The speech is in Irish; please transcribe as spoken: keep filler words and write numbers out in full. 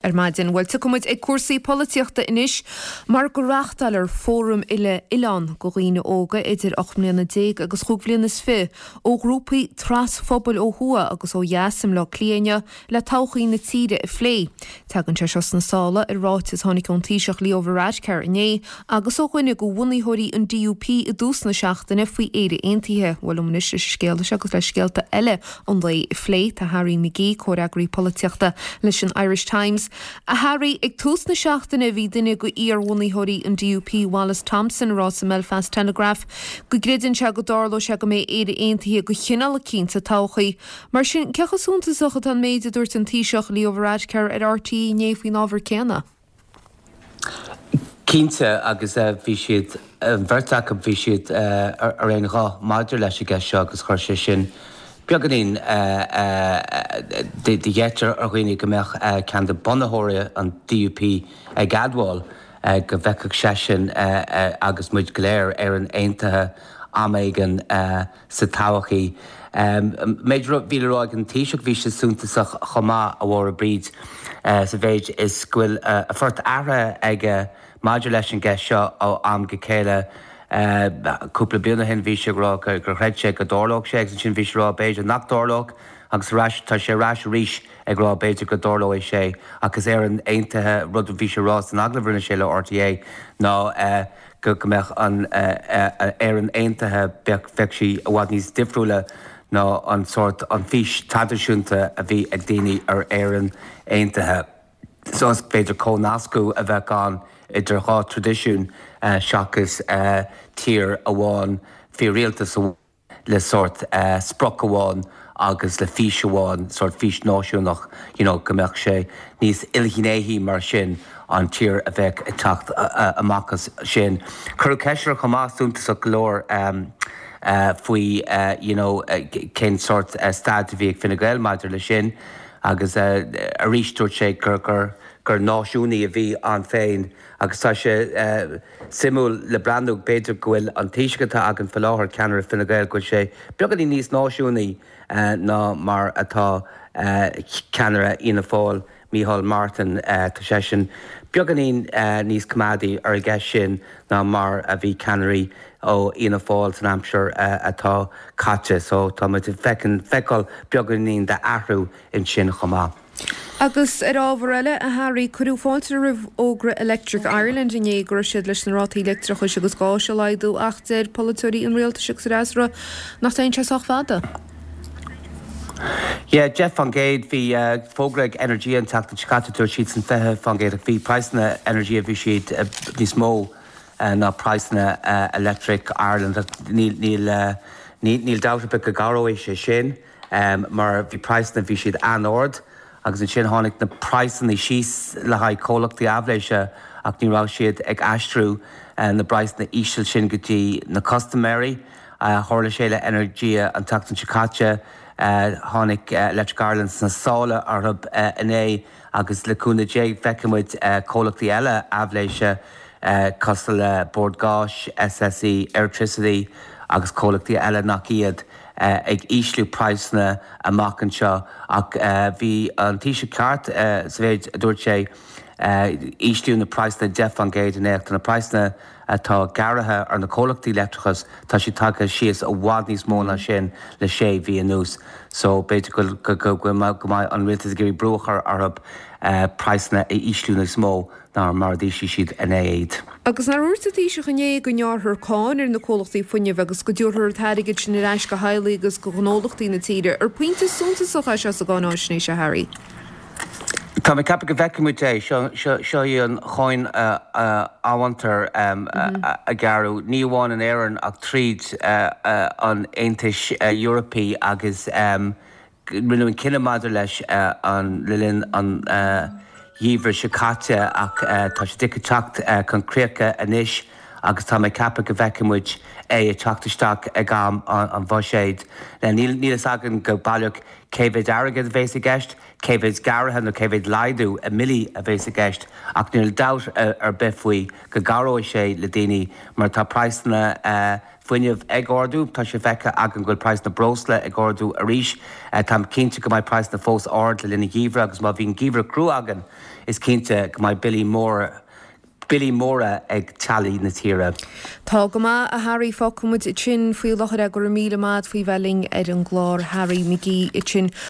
Ar maidin. Bhuel, tiocfaidh muid ag cúrsaí polaitíochta anois mar go reáchtáiltear fóram uile-oileáin do dhaoine óga idir ocht mbliana déag agus chúig bhliana is fiche ó ghrúpaí trasphobail ó thuaidh agus ó dheas i mBleá Cliath inniu le todhchaí na tíre a phlé. Tagann sé seo sna sála ar ráiteas a tháinig ón Taoiseach Leo Varadkar inné agus ó dhuine de bhunaitheoirí an D U P i dtús na seachtaine faoi Éire Aontaithe. Bhuel, liom anois leis an scéal seo agus le scéalta eile an lae a phlé tá Harry McGee, comhfhreagraí polaitíochta leis an Irish Times. A Harry, ag tús na seachtaine bhí duine de iarbhunaitheoirí an D U P, Wallace Thompson, rá sa Belfast Telegraph go gcreideann sé go dtarlóidh sé go mbeidh Éire Aontaithe de chineál eicínt sa todhchaí. Mar sin, cé chomh suntasach atá an méid a dúirt an Taoiseach Leo Varadkar ar R T É inné faoin ábhar céanna? Cinnte, agus bhí siad, an bheirt acu, bhí siad ar aon ghuth maidir leis an gceist seo agus chuir sé sin beagáinín de gheit ar dhaoine go mbeadh ceann de bunaitheoirí an D U P ag admháil go bhfeicfeadh seisean agus muid go léir Éire Aontaithe am éigin sa todhchaí. Méid bhí le rá ag an Taoiseach, bhí sé suntasach chomh maith, a Mháire Bríd, sa mhéid is go bhfuil a phort athraithe aige maidir leis an gceist seo ó am go chéile. Cúpla bliain ó shin bhí sé ag rá gur chreid sé go dtarlódh sé agus ansin bhí sé ag rá b'fhéidir nach dtarlódh agus ar ais tá sé ar ais arís ag rá b'fhéidir go dtarlóidh sé agus Éire Aontaithe. Rud a bhí sé rá san agallamh a rinne sé le R T É ná go go mbeadh an Éire Aontaithe, bheadh bheadh sí i bhfad níos difriúla ná an sórt an fhís traidisiúnta a bhí ag daoine ar Éire Aontaithe. So is féidir comhnascadh a bheith ann idir dhá traidisiún seachas tír amháin faoi rialtas le sórt sprioc amháin agus le fís amháin, sórt fís náisiúnach you know, go mbeadh sé níos ilghnéithí mar sin an tír a bheadh ag teacht amach as sin. Cuireadh ceist air chomh maith, suntasach go leor, um, uh, faoi uh, you know, uh, cén sórt uh, staid a bhí ag Fine Gael maidir le sin agus uh, arís dúirt sé gur gur gur náisiúnaí a bhí ann féin agus tá sé uh, suimiúil le breathnú, b'fhéidir go bhfuil an Taoiseach atá againn faoi láthair, ceannaire Fine Gael, go bhfuil sé beagáinín níos náisiúnaí uh, ná mar atá uh, ceannaire Fhianna Fáil, Micheál Martin. uh, tá sé sin beagáinín uh, níos coimeádaí ar an gceist sin ná mar a bhí ceannairí ó Fhianna Fáil san aimsir uh, atá caite, so tá muid ag feiceáil beagáinín d'athrú ansin chomh maith. Agus ar ábhar eile, a Harry, cuireadh fáilte roimh fhógra Electric Ireland inné go raibh siad leis na rátaí leictreachais agus gáis a laghdú, ach deir polaiteoirí an rialtais agus fhreasúra nach dtéann sé sách fada. Yeah, deich faoin gcéad. Bhí uh, fógra ag Energia an tseachtain seo caite, dúirt siad san fiche faoin gcéad, bhí praghsanna Energia, bhí siad uh, níos mó uh, ná praghsanna uh, Electric Ireland. Níl níl uh, níl níl dabht go gcabhróidh sé sin um, mar bhí praghsanna, bhí siad an-ard agus ansin tháinig na praghsanna síos le haghaidh comhlachtaí aibhléise ach ní raibh siad ag aistriú uh, na praghsanna íseal sin go dtí na custaiméirí. uh, Tharla sé le Energia an tseachtain seo caite, uh, tháinig uh, Electric Ireland sna sála orthu uh, inné agus le cúnamh Dé feicfimid uh, comhlachtaí eile aibhléise uh, cosúil le Bord Gáis, S S E, Airtricity agus comhlachtaí eile nach iad uh, ag ísliú praghsanna amach anseo, ach uh, bhí an Taoiseach ceart uh, sa mhéid a dúirt sé uh, ísliú na praghsanna deich faoin gcéad in éacht na praghsanna atá gearrtha ar na comhlachtaí leictreachais, tá sé tagtha síos i bhfad níos mó ná sin le sé mhí anuas. So b'fhéidir go go go mbeidh an rialtas ag iarraidh brú a chur orthu uh, praghsanna a ísliú níos mó ná mar d'ísligh siad inné iad. Agus nár dhúirt an Taoiseach inné go ngearrfar cáin ar na comhlachtaí fuinnimh agus go dtabharfar an t-airgead sin ar ais go theaghlaigh agus go gnólachtaí na tíre? Ar pointe suntasach é seo sa gcáinaisnéis, a Harry? Tá mé ag ceapadh go bhfeicfimid é. Seo í an cháin amhantar a gearradh ní amháin in Éirinn ach tríd an Aontais Eorpaigh agus rinneadh an cinneadh maidir leis an le linn an gheimhridh seo caite, ach tá sé ag teacht chun críche anois. agus tá mé ag ceapadh go bhfeicfidh muid é ag teacht isteach ag am an bhuiséid. Níl a fhios againn go baileach cé mhéid airgead a bhéas i gceist, cé mhéid gearradh nó cé mhéid laghdú i mbillí a bhéas i gceist ach níl dabht ar bith faoi go gcabhróidh sé le daoine mar tá praghsanna fuinnimh ag ardú, tá sé feicthe againn go bhfuil praghas na breosla ag ardú arís. Táim cinnte go mbeidh praghsanna fós ard le linn an gheimhridh agus má bhíonn geimhreadh crua againn is cinnte go mbeidh billí móra billí móra ag teaghlaigh na tíre. Tá go maith, a Harry, fágfaidh muid ansin faoi láthair é. Go raibh míle maith agat faoi bheith linn ar an gclár Harry McGee ansin.